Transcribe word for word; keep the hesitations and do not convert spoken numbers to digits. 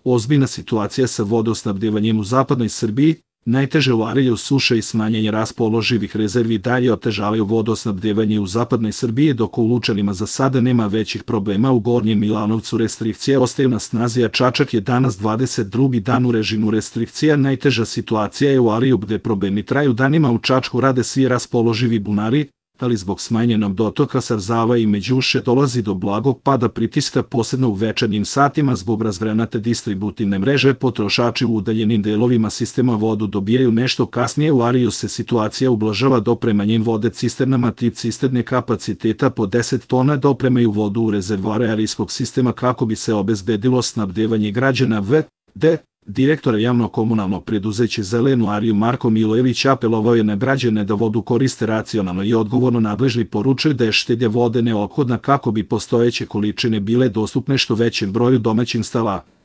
Ozbiljna situacija sa vodosnabdevanjem u zapadnoj Srbiji, najteže u Arilju suše i smanjenje raspoloživih rezervi dalje otežavaju vodosnabdevanje u zapadnoj Srbiji, dok u Lučanima za sada nema većih problema. U Gornjem Milanovcu restrikcije ostaju na snazi, a Čačak je danas dvadeset drugi dan u režimu restrikcija. Najteža situacija je u Arilju, gde problemi traju danima. U Čačku rade svi raspoloživi bunari, ali zbog smanjenog dotoka Sarzava i Međuše dolazi do blagog pada pritiska, posebno u večernjim satima. Zbog razgranate distributivne mreže potrošači u udaljenim delovima sistema vodu dobijaju nešto kasnije. U Arilju se situacija ublažava dopremanjem vode cisternama. Tip cisterne kapaciteta po deset tona dopremaju vodu u rezervoare arijskog sistema kako bi se obezbedilo snabdevanje građana. V D Direktora javno-komunalnog preduzeća Zelenu Ariju Marko Milojević apelovao je na građane da vodu koriste racionalno i odgovorno. Nadležni poručuju da je štednja vode neophodna kako bi postojeće količine bile dostupne što većem broju domaćinstava.